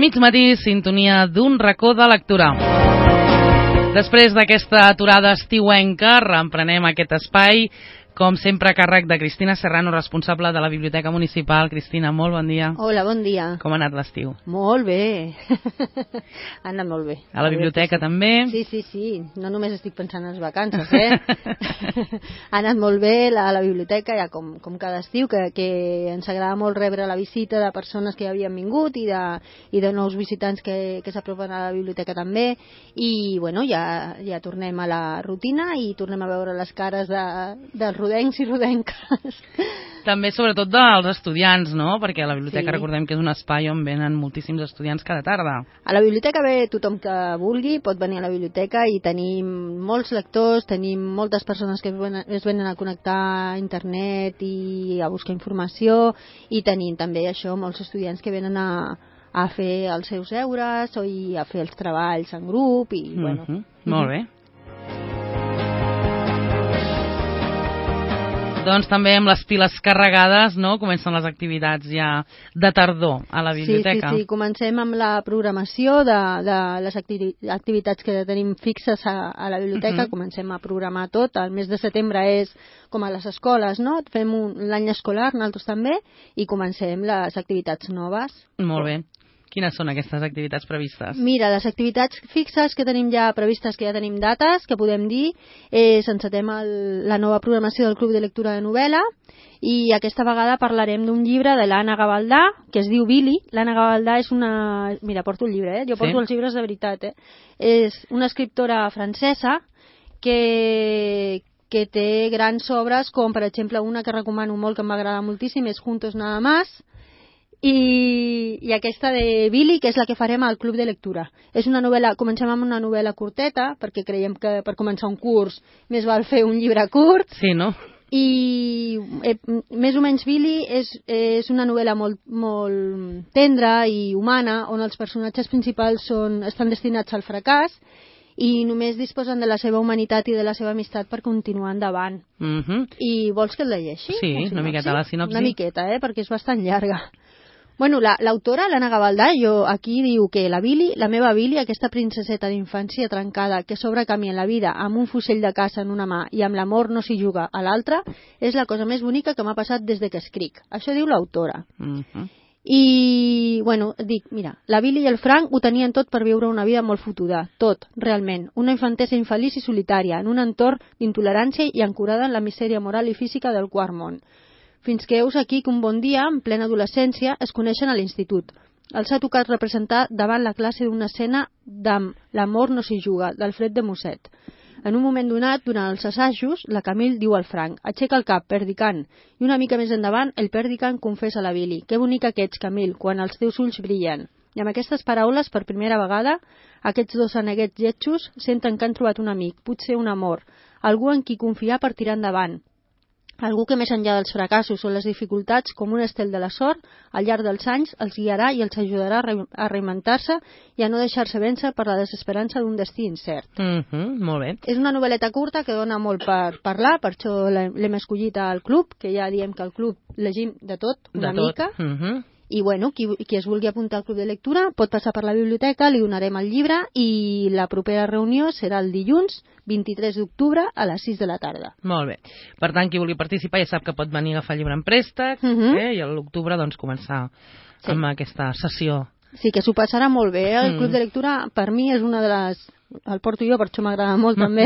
mig matí, sintonia d'un racó de lectura. Després d'aquesta aturada estiuenca, reemprenem aquest espai, com sempre a càrrec de Cristina Serrano, responsable de la Biblioteca Municipal. Cristina, molt bon dia. Hola, bon dia. Com ha anat l'estiu? Molt bé. Ha anat molt bé. A la biblioteca també? Sí. No només estic pensant en les vacances, Ha anat molt bé la biblioteca, ja com cada estiu, que ens agrada molt rebre la visita de persones que ja havien vingut i de nous visitants que s'apropen a la biblioteca també. I, bueno, ja tornem a la rutina i tornem a veure les cares dels rodencs i rodenques. També, sobretot, dels estudiants, no? Perquè a la biblioteca Sí. recordem que és un espai on venen moltíssims estudiants cada tarda. A la biblioteca ve tothom que vulgui, pot venir a la biblioteca i tenim molts lectors, tenim moltes persones que es venen a connectar a internet i a buscar informació, i tenim també això, molts estudiants que venen a fer els seus deures i a fer els treballs en grup i bueno. Molt bé. Doncs també amb les piles carregades, no? Comencen les activitats ja de tardor a la biblioteca. Sí. Comencem amb la programació de les activitats que tenim fixes a la biblioteca. Comencem a programar tot. El mes de setembre és com a les escoles, no? Fem l'any escolar, nosaltres també, i comencem les activitats noves. Molt bé. Quines són aquestes activitats previstes? Mira, les activitats fixes que tenim ja previstes, que ja tenim dates, que podem dir, encetem la nova programació del Club de Lectura de Novel·la, i aquesta vegada parlarem d'un llibre de l'Anna Gavaldà, que es diu Billy. L'Anna Gavaldà és una... Mira, porto el llibre, Jo porto els llibres de veritat, És una escriptora francesa que té grans obres, com per exemple una que recomano molt, que em va agradar moltíssim, és Juntos Nada Más, i aquesta de Billy, que és la que farem al Club de Lectura. És una novel·la, comencem amb una novel·la curteta, perquè creiem que per començar un curs més val fer un llibre curt. Sí, no? I més o menys Billy és una novel·la molt tendra i humana, on els personatges principals estan destinats al fracàs i només disposen de la seva humanitat i de la seva amistat per continuar endavant. I vols que el llegeixi? Sí, una miqueta la sinopsi. Una miqueta, perquè és bastant llarga. Bueno, l'autora, l'Anna Gavaldà, aquí diu que la meva Billy, aquesta princeseta d'infància trencada que s'obre camí en la vida amb un fusell de caça en una mà i amb l'amor no s'hi juga a l'altra, és la cosa més bonica que m'ha passat des de que escric. Això diu l'autora. I, bueno, dic, mira, la Billy i el Frank ho tenien tot per viure una vida molt fotuda, tot, realment, una infantesa infeliç i solitària, en un entorn d'intolerància i ancorada en la misèria moral i física del quart món. Fins que heus aquí que un bon dia, en plena adolescència, es coneixen a l'institut. Els ha tocat representar davant la classe d'una escena d'Am l'amor no s'hi juga, d'Alfred de Musset. En un moment donat, durant els assajos, la Camille diu al Frank: aixeca el cap, perdicant. I una mica més endavant, el perdicant confessa a la Billy: que bonica que ets, Camille, quan els teus ulls brillen. I amb aquestes paraules, per primera vegada, aquests dos aneguets lletjos senten que han trobat un amic, potser un amor, algú en qui confiar per tirar endavant. Algú que més enllà dels fracassos o les dificultats, com un estel de la sort, al llarg dels anys els guiarà i els ajudarà a reinventar-se i a no deixar-se vèncer per la desesperança d'un destí incert. Molt bé. És una novel·leta curta que dona molt per parlar, per això l'hem escollit al club, que ja diem que al club llegim de tot, una mica. I bueno, qui es vulgui apuntar al club de lectura pot passar per la biblioteca, li donarem el llibre i la propera reunió serà el dilluns 23 d'octubre a les 6 de la tarda. Molt bé. Per tant, qui vulgui participar ja sap que pot venir a agafar el llibre en préstec i a l'octubre doncs començar amb aquesta sessió. Sí, que s'ho passarà molt bé. El club de lectura per mi és una de les... El porto jo, per això m'agrada molt també.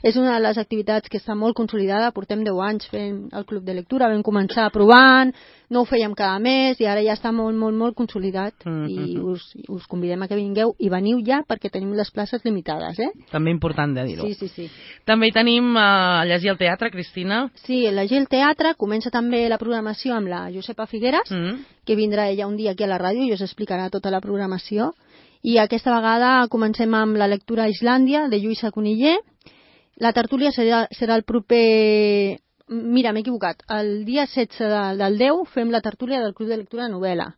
És una de les activitats que està molt consolidada. Portem 10 anys fent el club de lectura. Vam començar provant, no ho fèiem cada mes i ara ja està molt consolidat. I us convidem a que vingueu i veniu ja perquè tenim les places limitades. També important de dir-ho. Sí. També hi tenim a llegir al teatre, Cristina. Sí, a llegir al teatre. Comença també la programació amb la Josepa Figueras, que vindrà ella un dia aquí a la ràdio i us explicarà tota la programació. I aquesta vegada comencem amb la lectura a Islàndia, de Lluïsa Coniller. La tertúlia serà el proper... Mira, m'he equivocat. El dia 16 del 10 fem la tertúlia del Club de Lectura de Novel·la.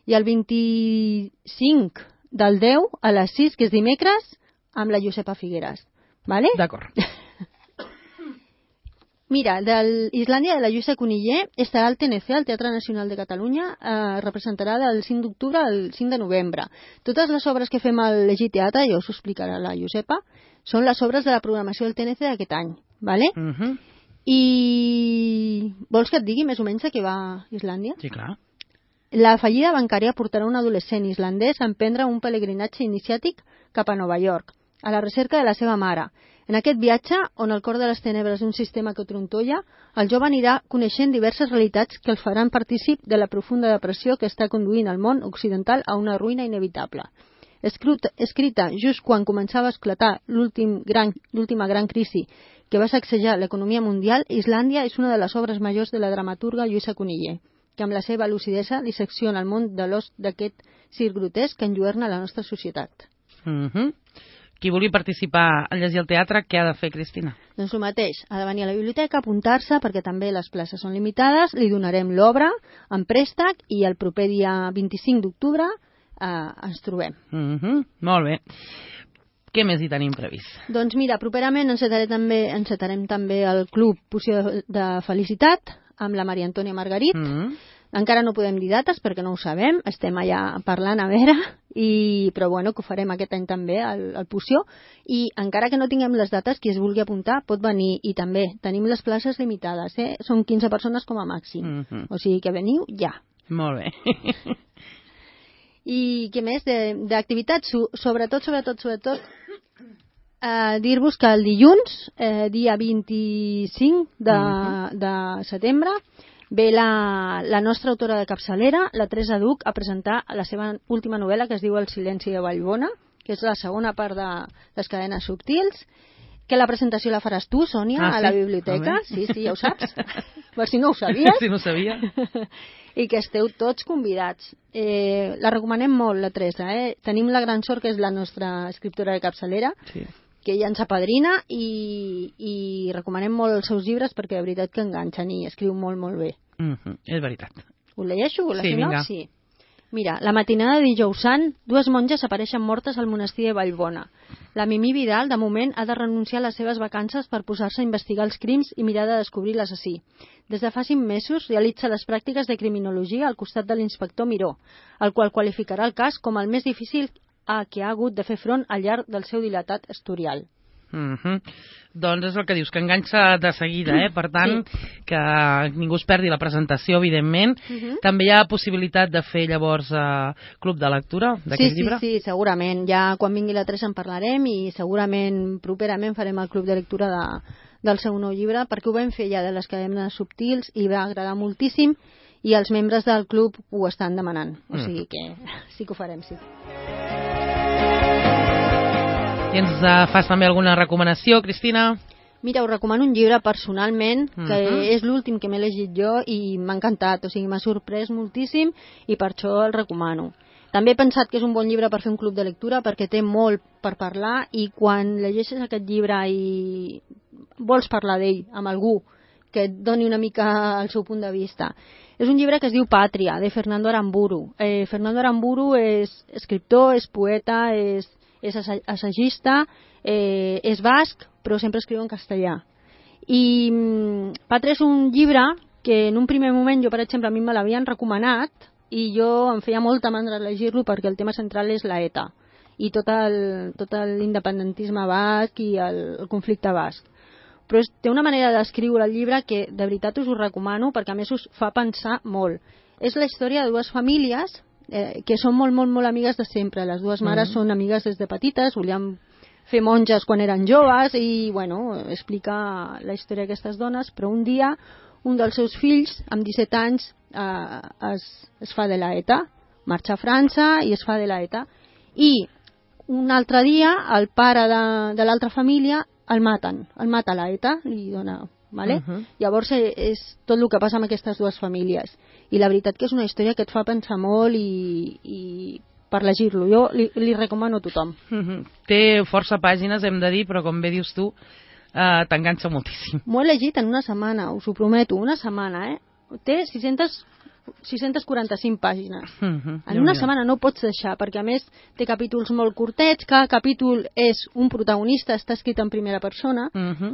I el 25 del 10 a les 6, que és dimecres, amb la Josepa Figueras. Vale? D'acord. Mira, d'Islàndia de la Lluïsa Cunillé estarà al TNC, al Teatre Nacional de Catalunya, representarà del 5 d'octubre al 5 de novembre. Totes les obres que fem al Llegit Teatre, ja us ho explicarà la Josepa, són les obres de la programació del TNC d'aquest any, ¿vale? I vols que et digui més o menys a què va Islàndia? Sí, clar. La fallida bancària portarà un adolescent islandès a emprendre un pelegrinatge iniciàtic cap a Nova York, a la recerca de la seva mare. En aquest viatge, on el cor de les tenebres d'un sistema que trontolla, el jove anirà coneixent diverses realitats que el faran partícip de la profunda depressió que està conduint el món occidental a una ruïna inevitable. Escrita just quan començava a esclatar l'última gran crisi que va sacsejar l'economia mundial, Islàndia és una de les obres majors de la dramaturga Lluïsa Cunillé, que amb la seva lucidesa dissecciona el món de l'os d'aquest circ grotesc que enlluerna la nostra societat. Qui vulgui participar al Llegir al Teatre, què ha de fer, Cristina? Doncs el mateix, ha de venir a la biblioteca, apuntar-se, perquè també les places són limitades, li donarem l'obra en préstec i el proper dia 25 d'octubre ens trobem. Molt bé. Què més hi tenim previst? Doncs mira, properament encetarem també el Club Poció de Felicitat amb la Maria Antònia Margarit. Encara no podem dir dates perquè no ho sabem, estem allà parlant a veure, però bueno, que ho farem aquest any també, el Poció, i encara que no tinguem les dates, qui es vulgui apuntar pot venir, i també tenim les places limitades, són 15 persones com a màxim, o sigui que veniu ja. Molt bé. I què més d'activitats? Sobretot, dir-vos que el dilluns, dia 25 de setembre, ve la nostra autora de capçalera, la Teresa Duc, a presentar la seva última novel·la que es diu El silenci de Vallbona, que és la segona part de Les cadenes subtils, que la presentació la faràs tu, Sònia, a la biblioteca. Sí, ja ho saps. Per si no ho sabies. Si no ho sabia. I que esteu tots convidats. La recomanem molt, la Teresa. Tenim la gran sort que és la nostra escriptora de capçalera, que ella ens apadrina, i recomanem molt els seus llibres perquè de veritat que enganxen i escriu molt, molt bé. És veritat. Ho llegeixo? Sí, vinga. Sí. Mira, la matinada de dijous sant, dues monges apareixen mortes al monestir de Vallbona. La Mimí Vidal, de moment, ha de renunciar a les seves vacances per posar-se a investigar els crims i mirar de descobrir l'assassí. Des de fa 5 mesos realitza les pràctiques de criminologia al costat de l'inspector Miró, el qual qualificarà el cas com el més difícil que ha hagut de fer front al llarg del seu dilatat historial. Doncs és el que dius, que enganxa de seguida, per tant, que ningú es perdi la presentació, evidentment. També hi ha possibilitat de fer llavors club de lectura d'aquest llibre? Sí, segurament. Ja quan vingui la Teresa en parlarem i segurament properament farem el club de lectura del seu nou llibre, perquè ho vam fer ja de Les cadenes subtils i va agradar moltíssim i els membres del club ho estan demanant. O sigui que sí que ho farem, sí. I ens fas també alguna recomanació, Cristina? Mira, us recomano un llibre personalment, que és l'últim que m'he llegit jo i m'ha encantat, o sigui, m'ha sorprès moltíssim i per això el recomano. També he pensat que és un bon llibre per fer un club de lectura perquè té molt per parlar i quan llegeixes aquest llibre i vols parlar d'ell amb algú que et doni una mica el seu punt de vista. És un llibre que es diu Pàtria, de Fernando Aramburu. Fernando Aramburu és escriptor, és poeta, és assagista, és basc, però sempre escriu en castellà. I Pàtria és un llibre que en un primer moment jo, per exemple, a mi me l'havien recomanat i jo em feia molta mandra llegir-lo perquè el tema central és la ETA i tot l'independentisme basc i el conflicte basc. Però té una manera d'escriure el llibre que de veritat us ho recomano perquè a més us fa pensar molt. És la història de dues famílies que són molt, molt, molt amigues de sempre. Les dues mares són amigues des de petites, volien fer monges quan eren joves i, bueno, explica la història d'aquestes dones, però un dia un dels seus fills, amb 17 anys, es fa de la ETA, marxa a França i es fa de la ETA. I un altre dia el pare de l'altra família el mata la ETA, li dona... Vale? Llavors és tot el que passa amb aquestes dues famílies i la veritat que és una història que et fa pensar molt i per llegir-lo jo li recomano a tothom. Té força pàgines, hem de dir, però com bé dius tu t'enganxa moltíssim. M'ho he llegit en una setmana, us ho prometo, una setmana. Té 600 645 pàgines. En una setmana no ho pots deixar, perquè a més té capítols molt curtets, cada capítol és un protagonista, està escrit en primera persona,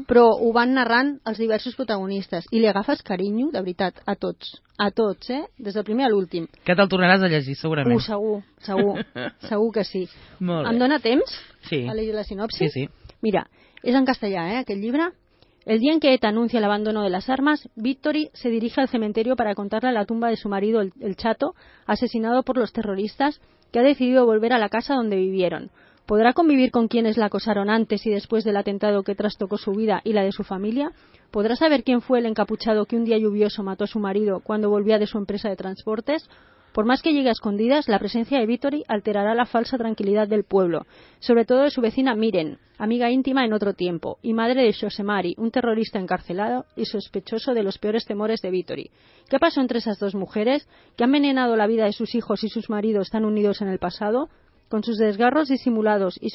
però ho van narrant els diversos protagonistes, i li agafes carinyo, de veritat, a tots, des del primer a l'últim. Que te'l tornaràs a llegir, segurament. Segur que sí. Em dóna temps a llegir la sinopsi? Sí. Mira, es en castellà, aquest llibre. El día en que ETA anuncia el abandono de las armas, Victory se dirige al cementerio para contarle la tumba de su marido, el Chato, asesinado por los terroristas, que ha decidido volver a la casa donde vivieron. ¿Podrá convivir con quienes la acosaron antes y después del atentado que trastocó su vida y la de su familia? ¿Podrá saber quién fue el encapuchado que un día lluvioso mató a su marido cuando volvía de su empresa de transportes? Por más que llegue a escondidas, la presencia de Victory alterará la falsa tranquilidad del pueblo, sobre todo de su vecina Miren, amiga íntima en otro tiempo, y madre de Josemari, un terrorista encarcelado y sospechoso de los peores temores de Victory. ¿Qué pasó entre esas dos mujeres, que han envenenado la vida de sus hijos y sus maridos tan unidos en el pasado? Con sus desgarros disimulados y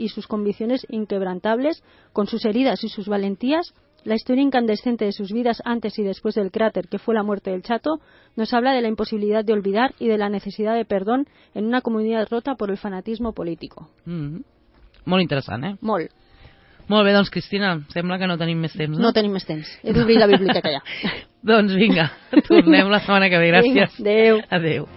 sus convicciones inquebrantables, con sus heridas y sus valentías, la historia incandescente de sus vidas antes y después del cráter que fue la muerte del Chato nos habla de la imposibilidad de olvidar y de la necesidad de perdón en una comunidad rota por el fanatismo político. Molt interessant, eh? Molt. Molt bé, doncs, Cristina, sembla que no tenim més temps, no? No tenim més temps. He d'obrir la biblioteca ja. Doncs vinga, tornem la setmana que ve. Gràcies. Vinga, adéu. Adéu.